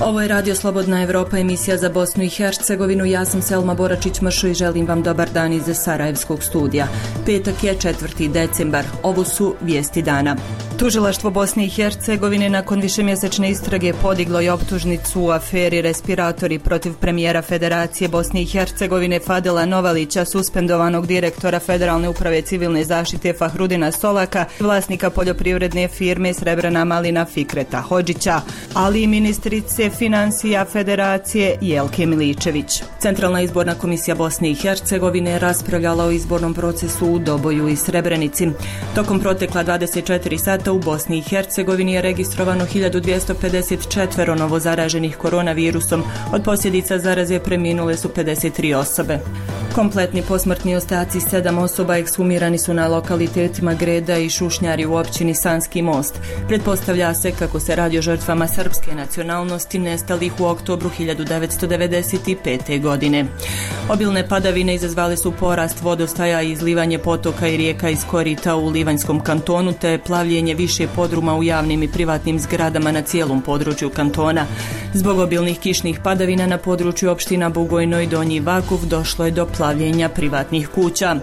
Ovo je Radio Slobodna Evropa, emisija za Bosnu i Hercegovinu. Ja sam Selma Boračić-Mršo i želim vam dobar dan iz Sarajevskog studija. Petak je 4. decembar. Ovo su vijesti dana. Tužilaštvo Bosne i Hercegovine nakon višemjesečne istrage podiglo je optužnicu u aferi respiratori protiv premijera Federacije Bosne i Hercegovine Fadela Novalića, suspendovanog direktora Federalne uprave civilne zaštite Fahrudina Solaka, vlasnika poljoprivredne firme Srebrna malina Fikreta Hodžića, ali i ministrice financija Federacije Jelke Miličević. Centralna izborna komisija Bosne i Hercegovine raspravljala o izbornom procesu u Doboju i Srebrenici. Tokom protekla 24 sata u Bosni i Hercegovini je registrovano 1254 novozaraženih koronavirusom. Od posljedica zaraze preminule su 53 osobe. Kompletni posmrtni ostaci 7 osoba ekshumirani su na lokalitetima Greda i Šušnjari u općini Sanski Most. Pretpostavlja se kako se radi o žrtvama srpske nacionalnosti nestalih u oktobru 1995. godine. Obilne padavine izazvale su porast vodostaja i izlivanje potoka i rijeka iz korita u Livanjskom kantonu te plavljenje više podruma u javnim i privatnim zgradama na cijelom području kantona. Zbog obilnih kišnih padavina na području opština Bugojno i Donji Vakuf došlo je do plavljenja privatnih kuća.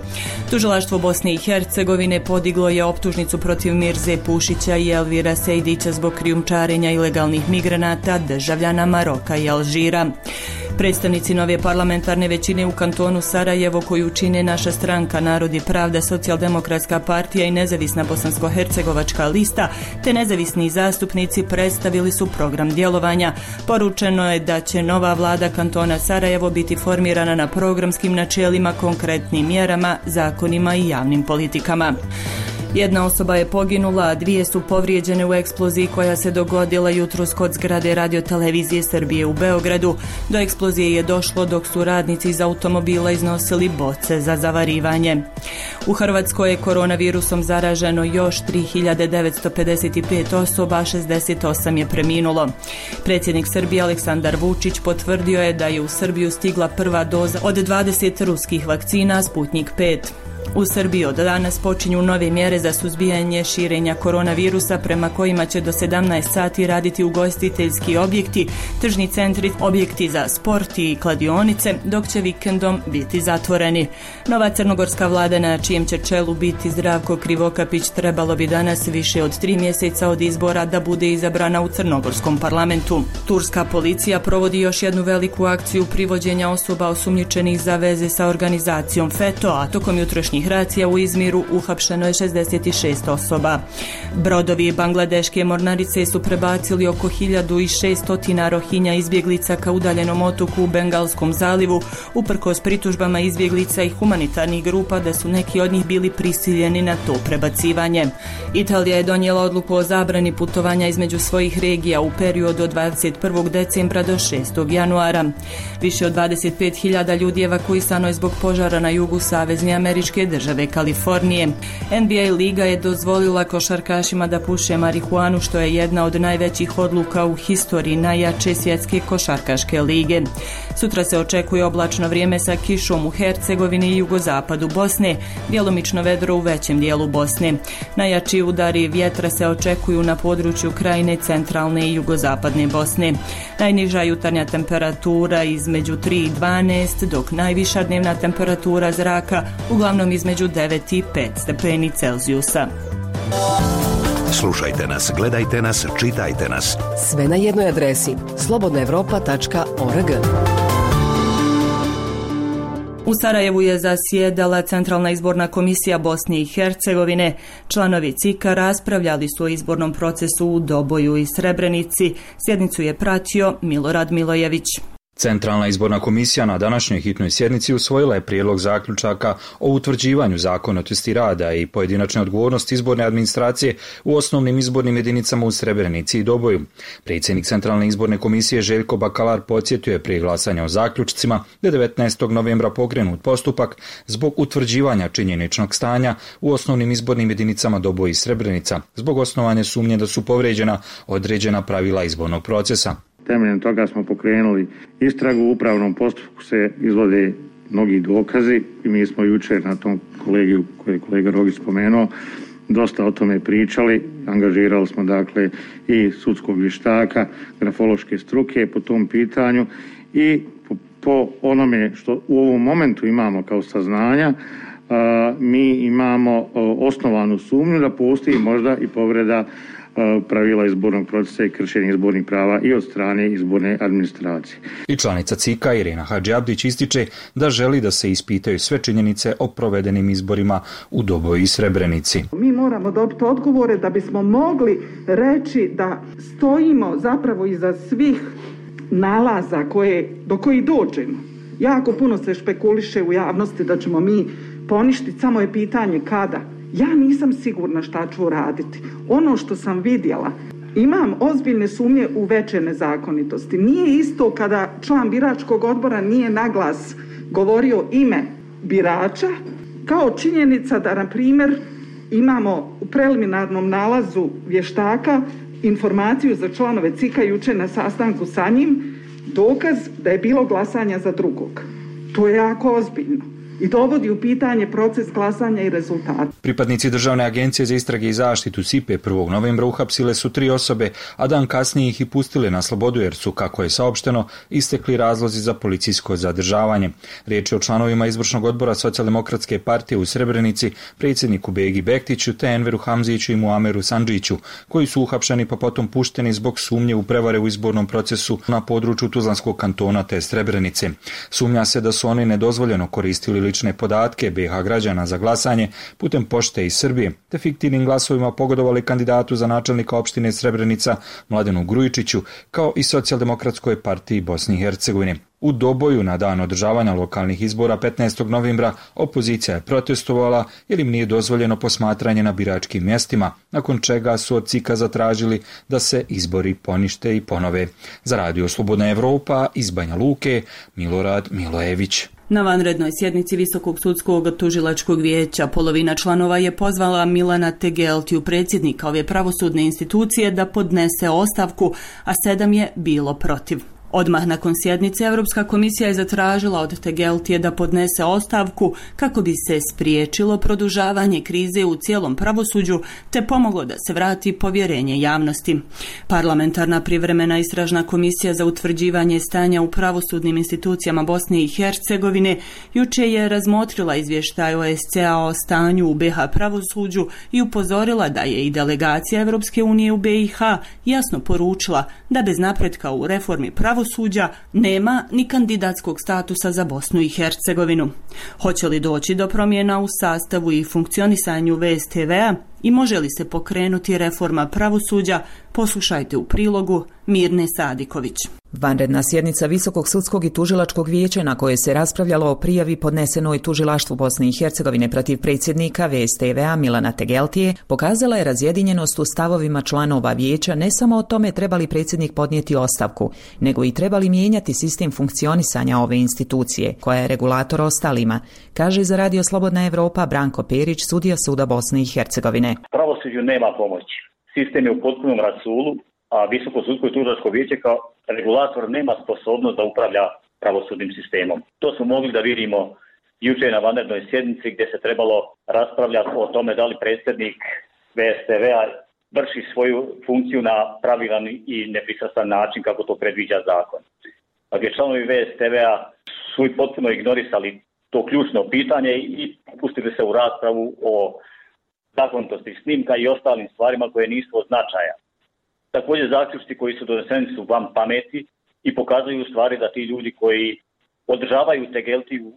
Tužilaštvo Bosne i Hercegovine podiglo je optužnicu protiv Mirze Pušića i Elvira Sejdića zbog krijumčarenja ilegalnih migranata, državljana Maroka i Alžira. Predstavnici nove parlamentarne većine u kantonu Sarajevo, koju čine Naša stranka, Narod i pravda, Socijaldemokratska partija i Nezavisna bosansko-hercegovačka lista, te nezavisni zastupnici predstavili su program djelovanja. Poručeno je da će nova vlada kantona Sarajevo biti formirana na programskim načelima, konkretnim mjerama, zakonima i javnim politikama. Jedna osoba je poginula, a dvije su povrijeđene u eksploziji koja se dogodila jutros kod zgrade Radio-televizije Srbije u Beogradu. Do eksplozije je došlo dok su radnici iz automobila iznosili boce za zavarivanje. U Hrvatskoj je koronavirusom zaraženo još 3955 osoba, 68 je preminulo. Predsjednik Srbije Aleksandar Vučić potvrdio je da je u Srbiju stigla prva doza od 20 ruskih vakcina Sputnik 5. U Srbiji od danas počinju nove mjere za suzbijanje širenja koronavirusa prema kojima će do 17 sati raditi ugostiteljski objekti, tržni centri, objekti za sport i kladionice, dok će vikendom biti zatvoreni. Nova crnogorska vlada na čijem će čelu biti Zdravko Krivokapić trebalo bi danas više od 3 mjeseca od izbora da bude izabrana u crnogorskom parlamentu. Turska policija provodi još jednu veliku akciju privođenja osoba osumnjičenih za veze sa organizacijom FETO, a tokom jutrošnjih racija u Izmiru uhapšeno je 66 osoba. Brodovi bangladeške mornarice su prebacili oko 1600 Rohinja izbjeglica ka udaljenom otoku u Bengalskom zalivu, uprkos pritužbama izbjeglica i humanitarnih grupa da su neki od njih bili prisiljeni na to prebacivanje. Italija je donijela odluku o zabrani putovanja između svojih regija u periodu od 21. decembra do 6. januara. Više od 25.000 ljudi evakuisano je zbog požara na jugu Savezne Američke države Kalifornije. NBA liga je dozvolila košarkašima da puše marihuanu, što je jedna od najvećih odluka u historiji najjače svjetske košarkaške lige. Sutra se očekuje oblačno vrijeme sa kišom u Hercegovini i jugozapadu Bosne, djelomično vedro u većem dijelu Bosne. Najjači udari vjetra se očekuju na području krajine centralne i jugozapadne Bosne. Najniža jutarnja temperatura između 3 i 12, dok najviša dnevna temperatura zraka uglavnom između 9 i 5 stepeni Celzijusa. Slušajte nas, gledajte nas, čitajte nas. Sve na jednoj adresi slobodnaevropa.org. U Sarajevu je zasjedala Centralna izborna komisija Bosne i Hercegovine. Članovi CIK-a raspravljali su o izbornom procesu u Doboju i Srebrenici. Sjednicu je pratio Milorad Milojević. Centralna izborna komisija na današnjoj hitnoj sjednici usvojila je prijedlog zaključaka o utvrđivanju zakonitosti rada i pojedinačne odgovornosti izborne administracije u osnovnim izbornim jedinicama u Srebrenici i Doboju. Predsjednik Centralne izborne komisije Željko Bakalar podsjetio je prije glasanja o zaključcima da je 19. novembra pokrenut postupak zbog utvrđivanja činjeničnog stanja u osnovnim izbornim jedinicama Doboj i Srebrenica, zbog osnovane sumnje da su povrijeđena određena pravila izbornog procesa. Temeljem toga smo pokrenuli istragu, u upravnom postupku se izvode mnogi dokazi i mi smo jučer na tom kolegiju koji je kolega Rogić spomenuo dosta o tome pričali. Angažirali smo dakle i sudskog vještaka, grafološke struke po tom pitanju i po onome što u ovom momentu imamo kao saznanja, mi imamo osnovanu sumnju da postoji možda i povreda pravila izbornog procesa i kršenje izbornih prava i od strane izborne administracije. I članica CIK-a Irena Hadžiabdić ističe da želi da se ispitaju sve činjenice o provedenim izborima u Doboju i Srebrenici. Mi moramo dobiti odgovore da bismo mogli reći da stojimo zapravo iza svih nalaza do kojih dođemo. Jako puno se špekuliše u javnosti da ćemo mi poništiti, samo je pitanje kada. Ja nisam sigurna šta ću raditi. Ono što sam vidjela, imam ozbiljne sumnje u veće nezakonitosti. Nije isto kada član biračkog odbora nije naglas govorio ime birača, kao činjenica da, na primjer, imamo u preliminarnom nalazu vještaka informaciju za članove CIK-a jučer na sastanku sa njim, dokaz da je bilo glasanja za drugog. To je jako ozbiljno i dovodi u pitanje proces glasanja i rezultata. Pripadnici Državne agencije za istrage i zaštitu SIPE 1. novembra uhapsile su 3 osobe, a dan kasnije ih i pustile na slobodu jer su, kako je saopšteno, istekli razlozi za policijsko zadržavanje. Riječ je o članovima izvršnog odbora Socijaldemokratske partije u Srebrenici, predsjedniku Begi Bektiću te Enveru Hamziću i Muameru Sandžiću, koji su uhapšeni pa potom pušteni zbog sumnje u prevare u izbornom procesu na području Tuzlanskog kantona te Srebrenice. Sumnja se da su oni nedozvoljeno koristili lične podatke BiH građana za glasanje putem pošte iz Srbije, te fiktivnim glasovima pogodovali kandidatu za načelnika opštine Srebrenica Mladenu Grujičiću, kao i Socijaldemokratskoj partiji Bosne i Hercegovine. U Doboju na dan održavanja lokalnih izbora 15. novembra opozicija je protestovala jer im nije dozvoljeno posmatranje na biračkim mjestima, nakon čega su od CIK-a zatražili da se izbori ponište i ponove. Za Radio Slobodna Evropa iz Banja Luke, Milorad Milojević. Na vanrednoj sjednici Visokog sudskog tužilačkog vijeća polovina članova je pozvala Milana Tegeltiju, predsjednika ove pravosudne institucije, da podnese ostavku, a 7 je bilo protiv. Odmah nakon sjednice Europska komisija je zatražila od Tegeltije da podnese ostavku kako bi se spriječilo produžavanje krize u cijelom pravosuđu te pomoglo da se vrati povjerenje javnosti. Parlamentarna privremena istražna komisija za utvrđivanje stanja u pravosudnim institucijama Bosne i Hercegovine jučer je razmotrila izvještaj OSCE-a o stanju u BiH pravosuđu i upozorila da je i delegacija Europske unije u BiH jasno poručila da bez napretka u reformi pravosuđa nema ni kandidatskog statusa za Bosnu i Hercegovinu. Hoće li doći do promjena u sastavu i funkcionisanju VSTV-a i može li se pokrenuti reforma pravosuđa, poslušajte u prilogu Mirne Sadiković. Vanredna sjednica Visokog sudskog i tužilačkog vijeća na kojoj se raspravljalo o prijavi podnesenoj tužilaštvu Bosne i Hercegovine protiv predsjednika VSTV-a Milana Tegeltije pokazala je razjedinjenost u stavovima članova vijeća ne samo o tome treba li predsjednik podnijeti ostavku, nego i treba li mijenjati sistem funkcionisanja ove institucije, koja je regulator ostalima, kaže za Radio Slobodna Evropa Branko Perić, sudija suda Bosne i Hercegovine. Pravosuđu nema pomoći. Sistem je u potpunom rasulu, a Visoko sudsko i tužilačko vijeće kao regulator nema sposobnost da upravlja pravosudnim sistemom. To smo mogli da vidimo jučer na vanrednoj sjednici gdje se trebalo raspravljati o tome da li predsjednik VSTV-a vrši svoju funkciju na pravilan i nepristrastan način kako to predviđa zakon. A gdje članovi VSTV-a su potpuno ignorisali to ključno pitanje i pustili se u raspravu o zakonitosti snimka i ostalim stvarima koje nisu od značaja. Također zaključci koji su doneseni su van pameti i pokazuju u stvari da ti ljudi koji održavaju Tegeltiju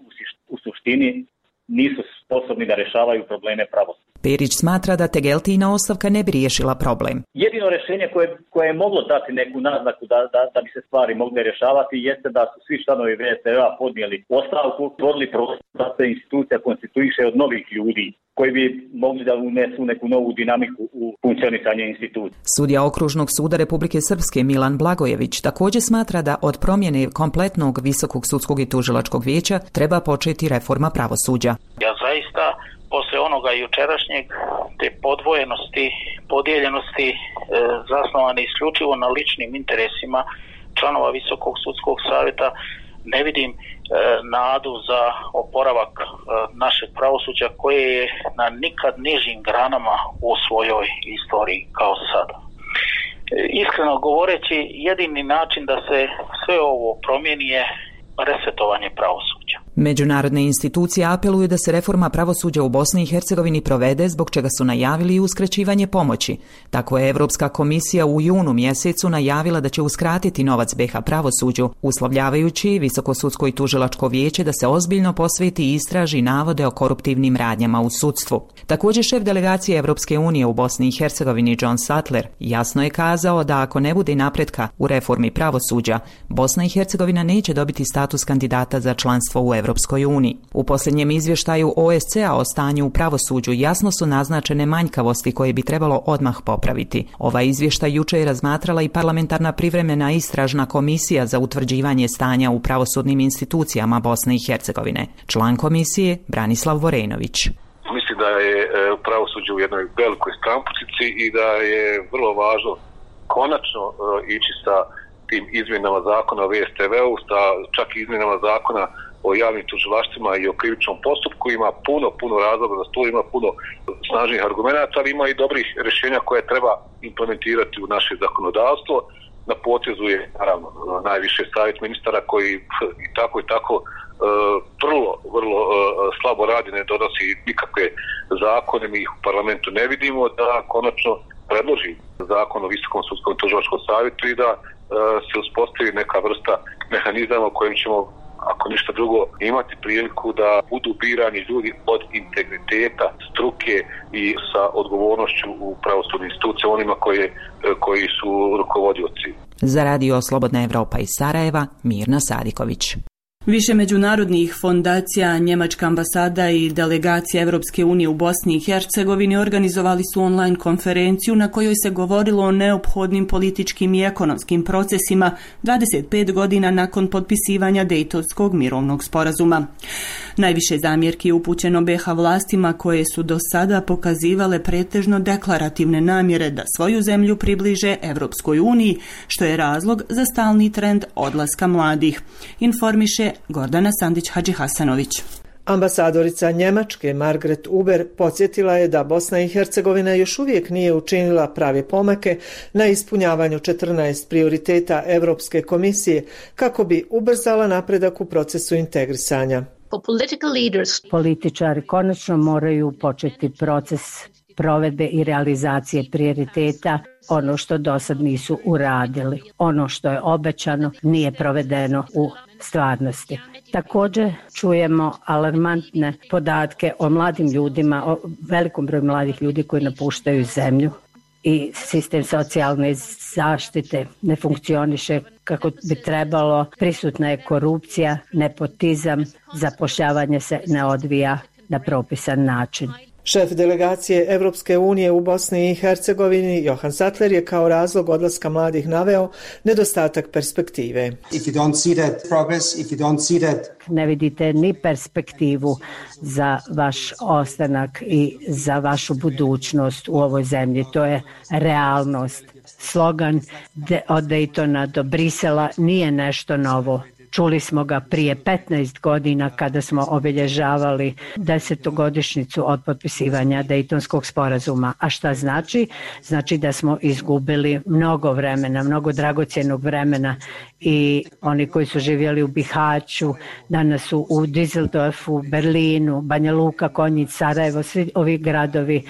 u suštini nisu sposobni da rješavaju probleme pravosuđa. Perić smatra da Tegeltijina ostavka ne bi riješila problem. Jedino rješenje koje je moglo dati neku naznaku da bi se stvari mogle rješavati jeste da su svi članovi VSTV-a podnijeli ostavku, stvorili prostor da se institucija konstituiše od novih ljudi koji bi mogli da unesu neku novu dinamiku u funkcionisanje institucije. Sudija Okružnog suda Republike Srpske Milan Blagojević također smatra da od promjene kompletnog Visokog sudskog i tužilačkog vijeća treba početi reforma pravosuđa. Ja zaista poslije onoga jučerašnjeg te podvojenosti, podijeljenosti zasnovane isključivo na ličnim interesima članova Visokog sudskog savjeta ne vidim nadu za oporavak našeg pravosuđa koje je na nikad nižim granama u svojoj istoriji kao sada. Iskreno govoreći, jedini način da se sve ovo promijeni je resetovanje pravosuđa. Međunarodne institucije apeluju da se reforma pravosuđa u Bosni i Hercegovini provede, zbog čega su najavili i uskraćivanje pomoći. Tako je Europska komisija u junu mjesecu najavila da će uskratiti novac BiH pravosuđu, uslovljavajući Visoko sudsko i tužilačko vijeće da se ozbiljno posveti i istraži navode o koruptivnim radnjama u sudstvu. Također šef delegacije Europske unije u Bosni i Hercegovini John Sattler jasno je kazao da ako ne bude napretka u reformi pravosuđa, Bosna i Hercegovina neće dobiti status kandidata za članstvo u Europskoj uniji. U posljednjem izvještaju OSCE-a o stanju u pravosuđu jasno su naznačene manjkavosti koje bi trebalo odmah popraviti. Ovaj izvještaj jučer je razmatrala i parlamentarna privremena istražna komisija za utvrđivanje stanja u pravosudnim institucijama Bosne i Hercegovine. Član komisije Branislav Vorenović. Mislim da je pravosuđe u jednoj velikoj stranpučici i da je vrlo važno konačno ići sa tim izmjenama zakona o VSTV-u, čak i izmjenama zakona o javnim tužilaštvima i o krivičnom postupku. Ima puno razloga za to, ima puno snažnih argumenata, ali ima i dobrih rješenja koje treba implementirati u naše zakonodavstvo. Na potezu je naravno najviše savjet ministara koji i tako vrlo slabo radi, ne donosi nikakve zakone, mi ih u parlamentu ne vidimo, da konačno predloži zakon o Visokom sudskom i tužilačkom savjetu i da se uspostavi neka vrsta mehanizama u kojem ćemo, ako ništa drugo, imati priliku da budu birani ljudi od integriteta, struke i sa odgovornošću u pravosudnim institucijama, onima koji su rukovodioci. Za Radio Slobodna Evropa iz Sarajeva, Mirna Sadiković. Više međunarodnih fondacija, Njemačka ambasada i delegacija Europske unije u Bosni i Hercegovini organizovali su online konferenciju na kojoj se govorilo o neophodnim političkim i ekonomskim procesima 25 godina nakon potpisivanja Dejtonskog mirovnog sporazuma. Najviše zamjerki je upućeno BiH vlastima koje su do sada pokazivale pretežno deklarativne namjere da svoju zemlju približe Europskoj uniji, što je razlog za stalni trend odlaska mladih, informiše Gordana Sandić-Hadžihasanović. Ambasadorica Njemačke Margret Uber podsjetila je da Bosna i Hercegovina još uvijek nije učinila prave pomake na ispunjavanju 14 prioriteta Europske komisije kako bi ubrzala napredak u procesu integrisanja. Političari konačno moraju početi proces provedbe i realizacije prioriteta, ono što dosad nisu uradili. Ono što je obećano nije provedeno u stvarnosti. Također čujemo alarmantne podatke o mladim ljudima, o velikom broju mladih ljudi koji napuštaju zemlju i sistem socijalne zaštite ne funkcioniše kako bi trebalo, prisutna je korupcija, nepotizam, zapošljavanje se ne odvija na propisan način. Šef delegacije Europske unije u Bosni i Hercegovini Johan Sattler je kao razlog odlaska mladih naveo nedostatak perspektive. Ne vidite ni perspektivu za vaš ostanak i za vašu budućnost u ovoj zemlji. To je realnost. Slogan od Dejtona do Brisela nije nešto novo. Čuli smo ga prije 15 godina kada smo obilježavali 10. od potpisivanja Dejtonskog sporazuma. A šta znači? Znači da smo izgubili mnogo vremena, mnogo dragocjenog vremena i oni koji su živjeli u Bihaću, danas su u Düsseldorfu, Berlinu, Banja Luka, Konjic, Sarajevo, svi ovi gradovi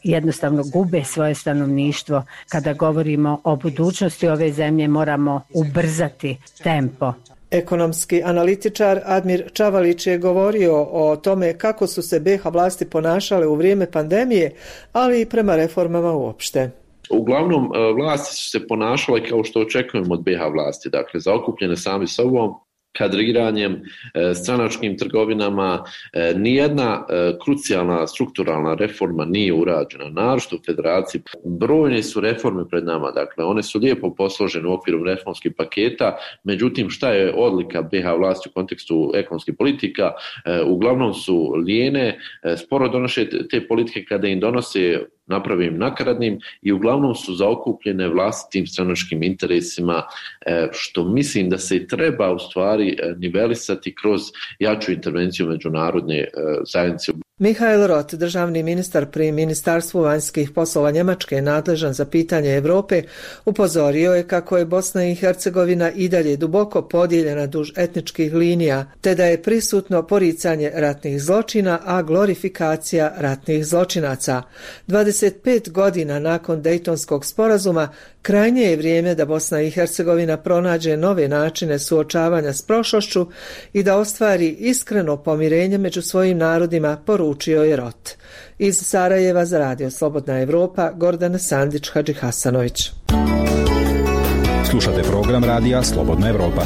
jednostavno gube svoje stanovništvo. Kada govorimo o budućnosti ove zemlje moramo ubrzati tempo. Ekonomski analitičar Admir Čavalić je govorio o tome kako su se BiH vlasti ponašale u vrijeme pandemije, ali i prema reformama uopšte. Uglavnom, vlasti su se ponašale kao što očekujemo od BiH vlasti, dakle zaokupljene sami sobom, kadriranjem, stranačkim trgovinama. Nijedna krucijalna strukturalna reforma nije urađena, naročito u federaciji. Brojne su reforme pred nama, dakle one su lijepo posložene u okviru reformskih paketa, međutim šta je odlika BiH vlasti u kontekstu ekonomskih politika? Uglavnom su lijene, sporo donose te politike, kada im donose napravim nakaradnim i uglavnom su zaokupljene vlastitim stranačkim interesima, što mislim da se i treba u stvari nivelisati kroz jaču intervenciju međunarodne zajednice. Mihael Roth, državni ministar pri Ministarstvu vanjskih poslova Njemačke, nadležan za pitanje Europe, upozorio je kako je Bosna i Hercegovina i dalje duboko podijeljena duž etničkih linija, te da je prisutno poricanje ratnih zločina, a glorifikacija ratnih zločinaca. 25 godina nakon Dejtonskog sporazuma krajnje je vrijeme da Bosna i Hercegovina pronađe nove načine suočavanja s prošlošću i da ostvari iskreno pomirenje među svojim narodima, poručio je Roth. Iz Sarajeva za Radio Slobodna Evropa, Gordana Sandić-Hadži Hasanović. Slušate program Radija Slobodna Evropa.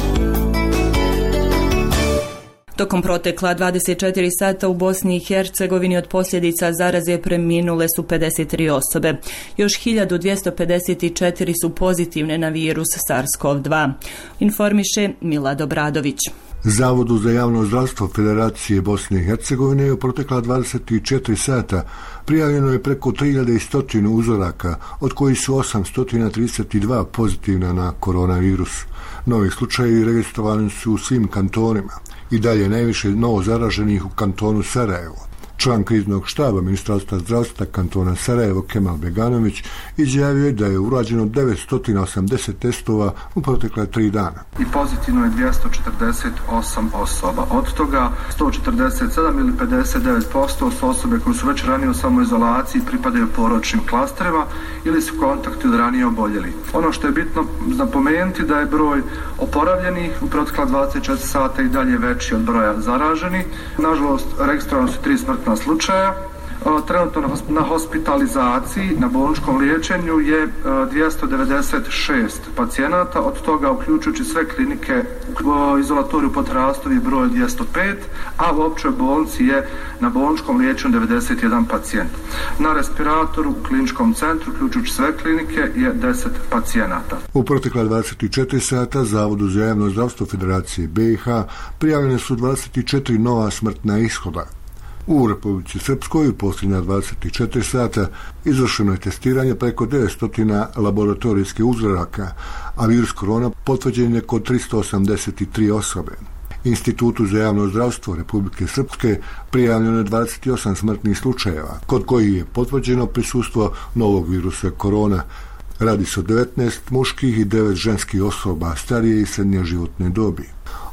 Tokom protekla 24 sata u Bosni i Hercegovini od posljedica zaraze preminule su 53 osobe. Još 1254 su pozitivne na virus SARS-CoV-2. Informiše Milad Obradović. Zavodu za javno zdravstvo Federacije Bosne i Hercegovine je u protekla 24 sata prijavljeno je preko 3100 uzoraka, od kojih su 832 pozitivna na koronavirus. Novi slučajevi registrovani su u svim kantonima. I dalje najviše novo zaraženih u kantonu Sarajevo. Član kriznog štaba Ministarstva zdravstva kantona Sarajevo Kemal Beganović izjavio je da je urađeno 980 testova u protekle 3 dana. I pozitivno je 248 osoba. Od toga 147 ili 59% su osobe koje su već ranije u samoizolaciji, pripadaju porodičnim klasterima ili su kontakti od ranije oboljeli. Ono što je bitno napomenuti da je broj oporavljenih u protekla 24 sata i dalje veći od broja zaraženih. Nažalost, registrovano su 3 smrtna slučaja. Trenutno na hospitalizaciji, na bolničkom liječenju je 296 pacijenata, od toga uključujući sve klinike u izolatoriju pod Rastovi broj 205, a u općoj bolnici je na bolničkom liječenju 91 pacijent. Na respiratoru u kliničkom centru, uključujući sve klinike, je 10 pacijenata. U protekla 24 sata Zavodu za javno zdravstvo Federacije BiH prijavljene su 24 nova smrtna ishoda. U Republici Srpskoj u posljednja 24 sata izvršeno je testiranje preko 900 laboratorijskih uzoraka, a virus korona potvrđen je kod 383 osobe. Institutu za javno zdravstvo Republike Srpske prijavljeno je 28 smrtnih slučajeva, kod kojih je potvrđeno prisustvo novog virusa korona. Radi se o 19 muških i 9 ženskih osoba starije i srednje životne dobi.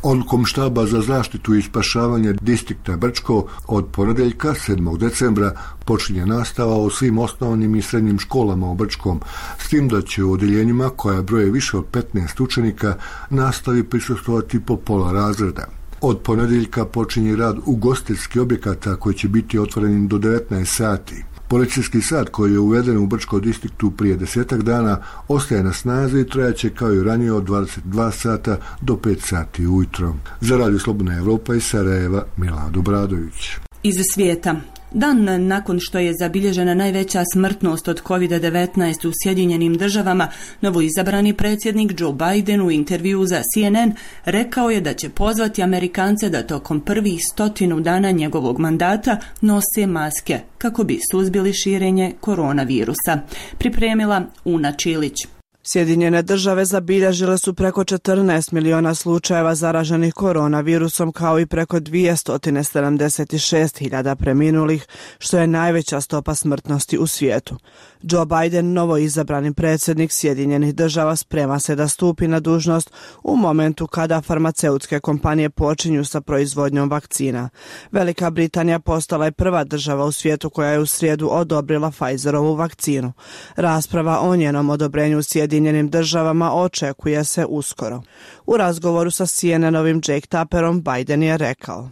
Odlukom štaba za zaštitu i spašavanje distrikta Brčko od ponedjeljka 7. decembra počinje nastava u svim osnovnim i srednjim školama u Brčkom, s tim da će u odjeljenjima koja broje više od 15 učenika nastavi prisustvovati po pola razreda. Od ponedjeljka počinje rad ugostiteljskih objekata koji će biti otvoreni do 19 sati. Policijski sat koji je uveden u Brčko distriktu prije 10 dana ostaje na snazi i trajaće kao i ranije od 22 sata do 5 sati ujutro. Za Radio Slobodna Evropa iz Sarajeva, Milad Obradović. Iz svijeta. Dan nakon što je zabilježena najveća smrtnost od COVID-19 u Sjedinjenim državama, novoizabrani predsjednik Joe Biden u intervjuu za CNN rekao je da će pozvati Amerikance da tokom prvih 100 dana njegovog mandata nose maske kako bi suzbili širenje koronavirusa. Pripremila Una Čilić. Sjedinjene države zabilježile su preko 14 miliona slučajeva zaraženih koronavirusom kao i preko 276.000 preminulih, što je najveća stopa smrtnosti u svijetu. Joe Biden, novoizabrani predsjednik Sjedinjenih država, sprema se da stupi na dužnost u momentu kada farmaceutske kompanije počinju sa proizvodnjom vakcina. Velika Britanija postala je prva država u svijetu koja je u srijedu odobrila Pfizerovu vakcinu. Rasprava o njenom odobrenju u Sjedinjenim državama očekuje se uskoro. U razgovoru sa CNN-ovim Jake Tapperom Biden je rekao: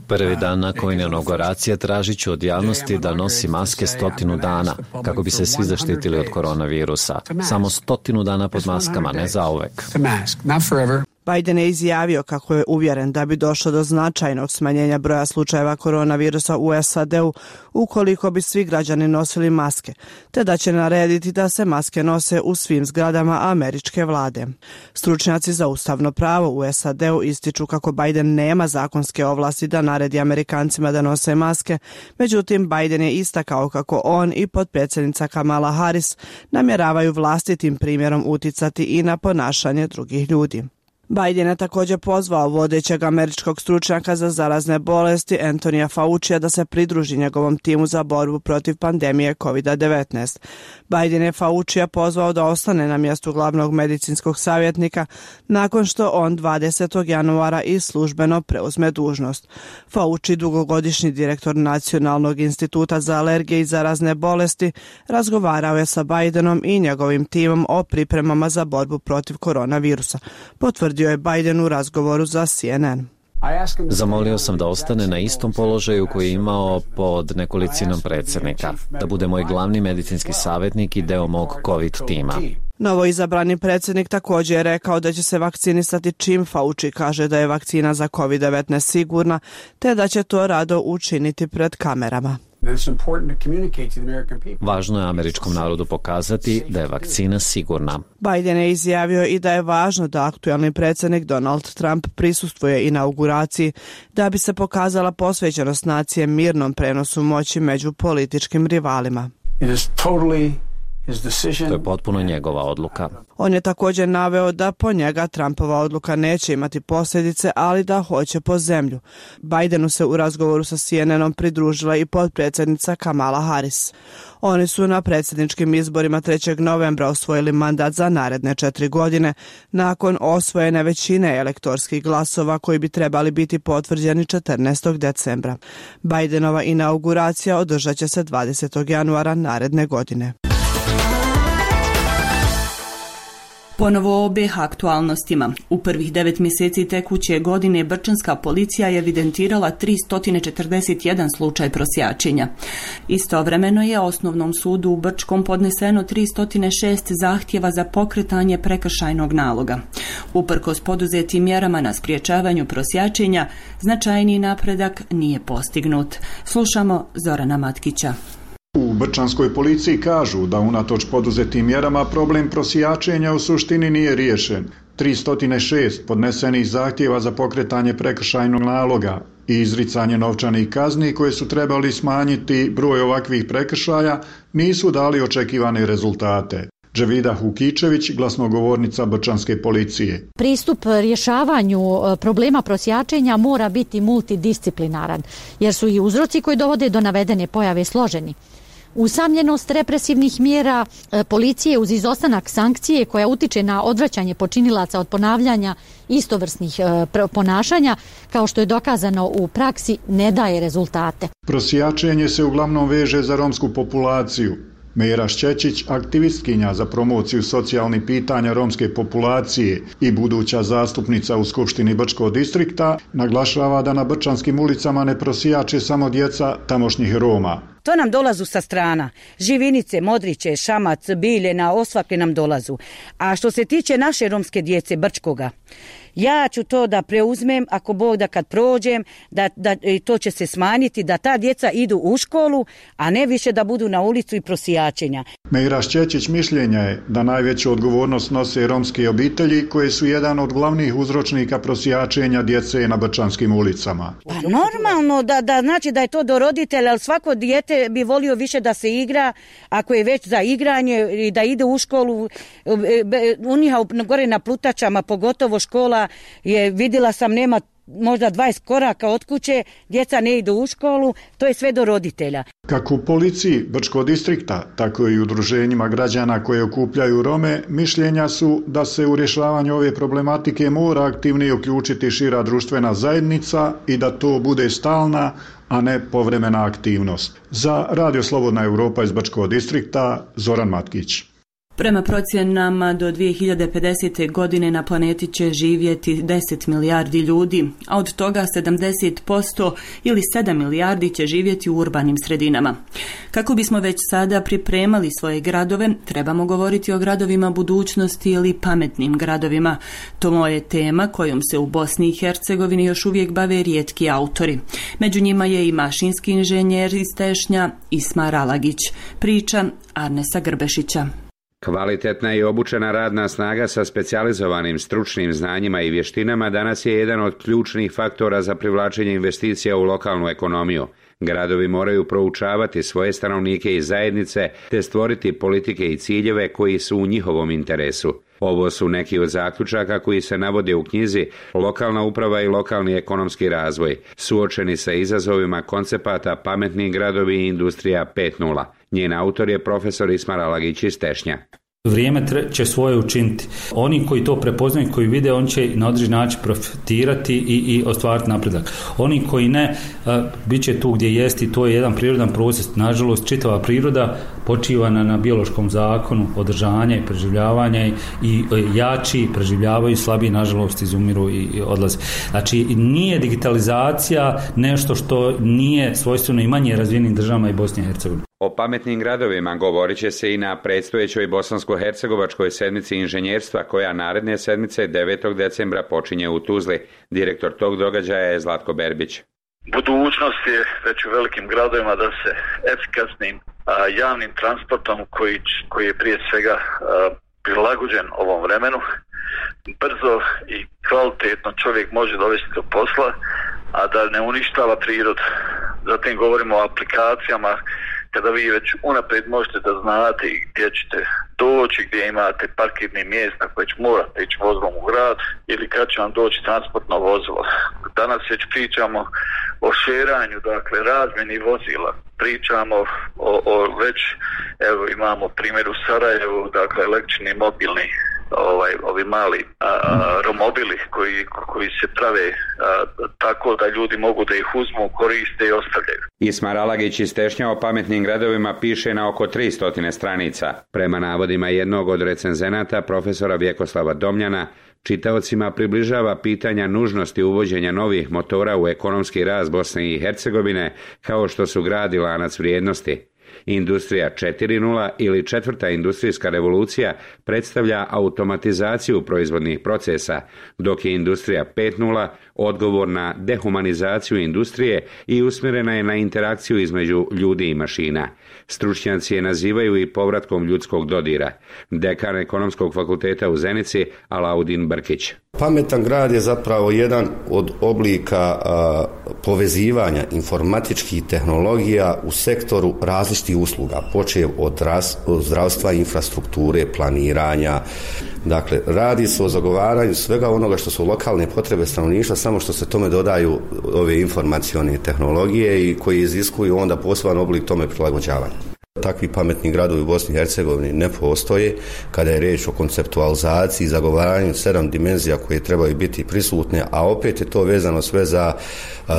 Prvi dan nakon inauguracije tražit ću od javnosti da nosi maske 100 dana, kako bi se svi zaštitili od koronavirusa. Samo 100 dana pod maskama, ne zauvek. Biden je izjavio kako je uvjeren da bi došlo do značajnog smanjenja broja slučajeva koronavirusa u SAD-u ukoliko bi svi građani nosili maske, te da će narediti da se maske nose u svim zgradama američke vlade. Stručnjaci za ustavno pravo u SAD-u ističu kako Biden nema zakonske ovlasti da naredi Amerikancima da nose maske, međutim Biden je istakao kako on i potpredsjednica Kamala Harris namjeravaju vlastitim primjerom uticati i na ponašanje drugih ljudi. Biden je također pozvao vodećeg američkog stručnjaka za zarazne bolesti Antonija Faucija da se pridruži njegovom timu za borbu protiv pandemije COVID-19. Biden je Faucija pozvao da ostane na mjestu glavnog medicinskog savjetnika nakon što on 20. januara i službeno preuzme dužnost. Fauci, dugogodišnji direktor Nacionalnog instituta za alergije i zarazne bolesti, razgovarao je sa Bidenom i njegovim timom o pripremama za borbu protiv koronavirusa. Potvrdio je Biden u razgovoru za CNN. Zamolio sam da ostane na istom položaju koji je imao pod nekolicinom predsjednika, da bude moj glavni medicinski savjetnik i deo mog COVID tima. Novoizabrani predsjednik također je rekao da će se vakcinisati čim Fauci kaže da je vakcina za COVID-19 sigurna, te da će to rado učiniti pred kamerama. Važno je američkom narodu pokazati da je vakcina sigurna. Biden je izjavio i da je važno da aktualni predsjednik Donald Trump prisustvuje inauguraciji da bi se pokazala posvećenost nacije mirnom prenosu moći među političkim rivalima. To je potpuno njegova odluka. On je također naveo da po njega Trumpova odluka neće imati posljedice, ali da hoće po zemlju. Bidenu se u razgovoru sa CNN-om pridružila i potpredsjednica Kamala Harris. Oni su na predsjedničkim izborima 3. novembra osvojili mandat za naredne 4 godine, nakon osvojene većine elektorskih glasova koji bi trebali biti potvrđeni 14. decembra. Bidenova inauguracija održat će se 20. januara naredne godine. Ponovo o BiH aktualnostima. U prvih 9 mjeseci tekuće godine brčanska policija je evidentirala 341 slučaj prosjačenja. Istovremeno je Osnovnom sudu u Brčkom podneseno 306 zahtjeva za pokretanje prekršajnog naloga. Uprkos poduzetim mjerama na sprječavanju prosjačenja, značajniji napredak nije postignut. Slušamo Zorana Matkića. U brčanskoj policiji kažu da unatoč poduzetim mjerama problem prosjačenja u suštini nije riješen. 306 podnesenih zahtjeva za pokretanje prekršajnog naloga i izricanje novčanih kazni koje su trebali smanjiti broj ovakvih prekršaja nisu dali očekivane rezultate. Dževida Hukičević, glasnogovornica brčanske policije. Pristup rješavanju problema prosjačenja mora biti multidisciplinaran, jer su i uzroci koji dovode do navedene pojave složeni. Usamljenost represivnih mjera policije uz izostanak sankcije koja utiče na odvraćanje počinilaca od ponavljanja istovrsnih ponašanja, kao što je dokazano u praksi, ne daje rezultate. Prosjačenje se uglavnom veže za romsku populaciju. Mejra Šćećić, aktivistkinja za promociju socijalnih pitanja romske populacije i buduća zastupnica u Skupštini Brčkog distrikta, naglašava da na brčanskim ulicama ne prosjače samo djeca tamošnjih Roma. To nam dolazu sa strana. Živinice, Modriće, Šamac, Biljena, osvakle nam dolazu. A što se tiče naše romske djece Brčkoga, ja ću to da preuzmem, ako Bog da kad prođem, da to će se smanjiti, da ta djeca idu u školu, a ne više da budu na ulicu i prosjačenja. Mejra Šćećić mišljenja je da najveću odgovornost nose romske obitelji koje su jedan od glavnih uzročnika prosjačenja djece na brčanskim ulicama. Pa normalno da znači da je to do roditelja, ali svako dijete bi volio više da se igra, ako je već za igranje i da ide u školu. U njih gore na Plutačama, pogotovo škola je, vidjela sam, nema možda 20 koraka od kuće, djeca ne idu u školu, to je sve do roditelja. Kako u policiji Brčkog distrikta, tako i u udruženjima građana koje okupljaju Rome, mišljenja su da se u rješavanju ove problematike mora aktivnije uključiti šira društvena zajednica i da to bude stalna, a ne povremena aktivnost. Za Radio Slobodna Europa iz Brčkog distrikta, Zoran Matkić. Prema procjenama do 2050. godine na planeti će živjeti 10 milijardi ljudi, a od toga 70% ili 7 milijardi će živjeti u urbanim sredinama. Kako bismo već sada pripremali svoje gradove, trebamo govoriti o gradovima budućnosti ili pametnim gradovima. To je tema kojom se u Bosni i Hercegovini još uvijek bave rijetki autori. Među njima je i mašinski inženjer iz Tešnja Ismar Alagić. Priča Arnesa Grbešića. Kvalitetna i obučena radna snaga sa specijalizovanim stručnim znanjima i vještinama danas je jedan od ključnih faktora za privlačenje investicija u lokalnu ekonomiju. Gradovi moraju proučavati svoje stanovnike i zajednice te stvoriti politike i ciljeve koji su u njihovom interesu. Ovo su neki od zaključaka koji se navode u knjizi Lokalna uprava i lokalni ekonomski razvoj, suočeni sa izazovima koncepata Pametni gradovi i industrija 5.0. Njen autor je profesor Ismar Alagić iz Tešnja. Vrijeme će svoje učiniti. Oni koji to prepoznaju, koji vide, on će na određen način profitirati i ostvariti napredak. Oni koji ne, bit će tu gdje jesti, to je jedan prirodan proces. Nažalost, čitava priroda počiva na biološkom zakonu održanja i preživljavanja i jači preživljavaju, slabiji nažalost izumiru i odlaze. Znači, nije digitalizacija nešto što nije svojstveno i manje razvijenim državama i Bosni i Hercegovini. O pametnim gradovima govorit će se i na predstojećoj bosansko-hercegovačkoj sedmici inženjerstva koja naredne sedmice 9. decembra počinje u Tuzli. Direktor tog događaja je Zlatko Berbić. Budućnost je već u velikim gradovima da se efikasnim javnim transportom koji je prije svega prilagođen ovom vremenu, brzo i kvalitetno čovjek može dovesti do posla, a da ne uništava prirodu. Zatim govorimo o aplikacijama kada vi već unaprijed možete da znate gdje ćete doći, gdje imate parkirne mjesta koje će morate ići vozilom u grad ili kad će vam doći transportno vozilo. Danas već pričamo o šeranju, dakle razmjeni vozila. Pričamo o već, evo imamo primjer u Sarajevu, dakle električni mobilni ovi mali romobili koji se prave tako da ljudi mogu da ih uzmu, koriste i ostavljaju. Ismar Alagić iz Tešnja o pametnim gradovima piše na oko 300 stranica. Prema navodima jednog od recenzenata, profesora Vjekoslava Domljana, čitaocima približava pitanja nužnosti uvođenja novih motora u ekonomski rast Bosne i Hercegovine, kao što su grad i lanac vrijednosti. Industrija 4.0 ili četvrta industrijska revolucija predstavlja automatizaciju proizvodnih procesa, dok je industrija 5.0 odgovor na dehumanizaciju industrije i usmjerena je na interakciju između ljudi i mašina. Stručnjaci je nazivaju i povratkom ljudskog dodira. Dekan Ekonomskog fakulteta u Zenici Alaudin Brkić. Pametan grad je zapravo jedan od oblika povezivanja informatičkih tehnologija u sektoru različitih usluga, počev od zdravstva, infrastrukture, planiranja. Dakle, radi se o zagovaranju svega onoga što su lokalne potrebe stanovništva, samo što se tome dodaju ove informacione tehnologije i koji iziskuju onda poseban oblik tome prilagođavanja. Takvi pametni gradovi u Bosni i Hercegovini ne postoje kada je riječ o konceptualizaciji i zagovaranju 7 dimenzija koje trebaju biti prisutne, a opet je to vezano sve za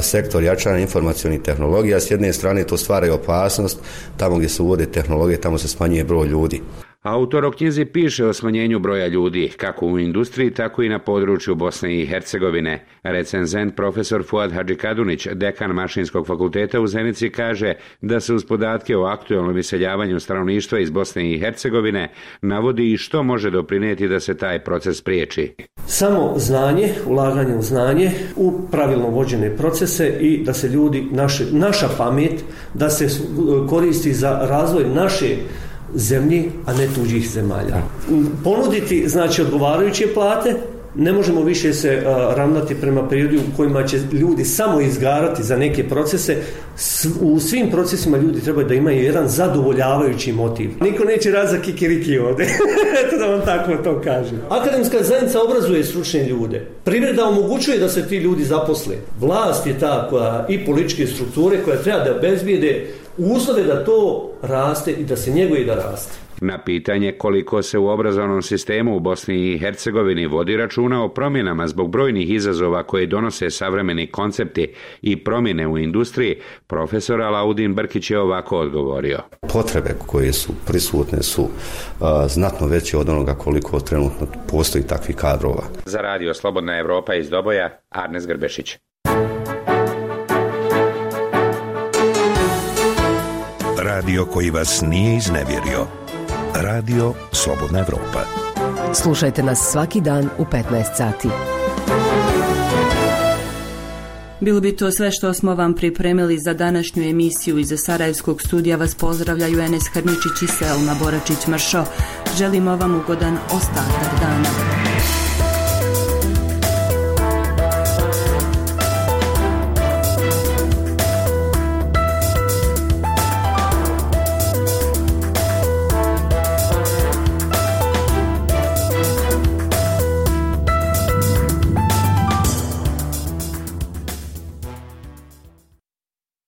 sektor jačanja informacionih tehnologija. S jedne strane to stvara opasnost, tamo gdje se uvode tehnologije, tamo se smanjuje broj ljudi. Autor o knjizi piše o smanjenju broja ljudi, kako u industriji, tako i na području Bosne i Hercegovine. Recenzent profesor Fuad Hadžikadunić, dekan Mašinskog fakulteta u Zenici, kaže da se uz podatke o aktualnom iseljavanju stanovništva iz Bosne i Hercegovine navodi i što može doprinijeti da se taj proces spriječi. Samo znanje, ulaganje u znanje, u pravilno vođene procese i da se ljudi, naša pamet, da se koristi za razvoj naše zemlji, a ne tuđih zemalja. Ponuditi, znači, odgovarajuće plate, ne možemo više se ravnati prema periodu u kojima će ljudi samo izgarati za neke procese. U svim procesima ljudi trebaju da imaju jedan zadovoljavajući motiv. Niko neće raditi za kikiriki ovdje. Eto da vam tako to kažem. Akademska zajednica obrazuje stručne ljude. Privreda omogućuje da se ti ljudi zaposle. Vlast je ta koja i političke strukture koja treba da obezbijede uslove da to raste i da se njeguje i da raste. Na pitanje koliko se u obrazovnom sistemu u Bosni i Hercegovini vodi računa o promjenama zbog brojnih izazova koje donose savremeni koncepti i promjene u industriji, profesor Alaudin Brkić je ovako odgovorio. Potrebe koje su prisutne su znatno veće od onoga koliko trenutno postoji takvih kadrova. Za radio Slobodna Evropa iz Doboja, Arnes Grbešić. Radio koji vas nije iznevjerio. Radio Slobodna Evropa. Slušajte nas svaki dan u 15 sati. Bilo bi to sve što smo vam pripremili za današnju emisiju. Iz Sarajevskog studija vas pozdravljaju Enes Hrničić i Selma Boračić-Mršo. Želimo vam ugodan ostatak dana.